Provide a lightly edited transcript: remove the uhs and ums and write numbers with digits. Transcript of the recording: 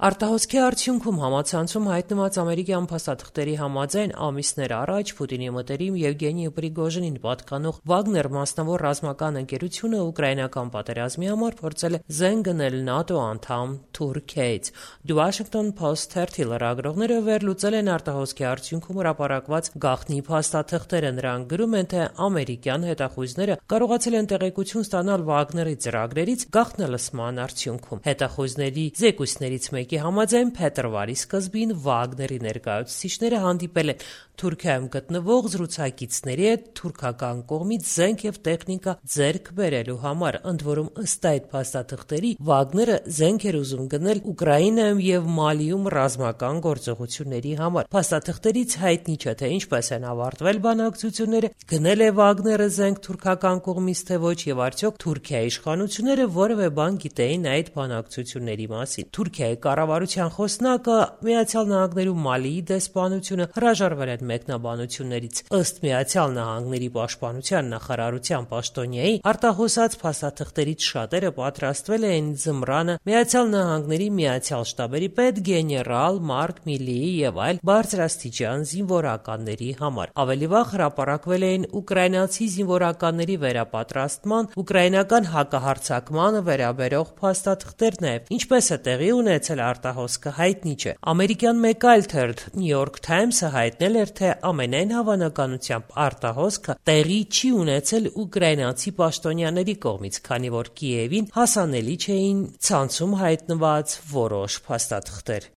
Արտահոսքի արդյունքում համացանցում հայտնված ամերիկյան փաստաթղթերի համաձայն ամիսներ առաջ Պուտինի մտերիմ Եվգենի Պրիգոժինին պատկանող Վագներ մասնավոր ռազմական ընկերությունը ուկրաինական պատերազմի համար փորձել է զենք գնել ՆԱՏՕ անդամ Թուրքիայից։ The Washington Post թերթի լրագրողները վերլուծել են արտահոսքի արդյունքում հրապարակված գաղտնի փաստաթղթերը։ Նրանք գրում են, թե ամերիկյան հետախույզները կարողացել են տեղեկություն ստանալ Վագների ծրագրերից գաղտնալսման արդյունքում։ Հետախույզների զեկույցներից մեկի համաձայն փետրվարի սկզբին Վագների ներկայացուցիչները հանդիպել են Թուրքիայում գտնվող զրուցակիցների հետ թուրքական կողմից զենք և տեխնիկա ձեռք բերելու համար։ Ընդ որում, ըստ այդ փաստաթղթերի, Վագները զենք էր ուզում գնել Ուկրաինայում և Մալիում ռազմական գործողությունների համար։ Փաստաթղթերից հայտնի չէ, թե ինչպես են ավարտվել բանակցությունները, գնել է Վագները զենք թուրքական կողմից, թե ոչ, եւ արդյոք Թուրքիայի իշխանությունները որևէ բան գիտեին այդ բանակցությունների մասին։ Թուրքիայի կառավարության խոսնակը Միացյալ Նահանգներում Մալիի դեսպանությունը հրաժարվել են մեկնաբանություններից։ Ըստ Միացյալ Նահանգների պաշտպանության նախարարության պաշտոնյայի, արտահոսած փաստաթղթերից շատերը պատրաստվել էին ձմռանը Միացյալ Նահանգների Միացյալ շտաբերի պետ գեներալ Մարկ Միլիի եւ այլ բարձրաստիճան զինվորականների համար։ Ավելի վաղ հրապարակվել էին ուկրաինացի զինվորականների վերապատրաստման, ուկրաինական հակահարձակմանը վերաբերող փաստաթղթեր նաև։ Ինչպես է տեղի ունեցել արտահոսքը, հայտնի չէ։ Ամերիկյան մեկ այլ թերթ New York Times-ը հայտնել էր, թե ամենայն հավանականությամբ արտահոսքը տեղի չի ունեցել ուկրաինացի պաշտոնյաների կողմից, քանի որ Կիևին հասանելի չէին ցանցում հայտնված որոշ փաստաթղթեր։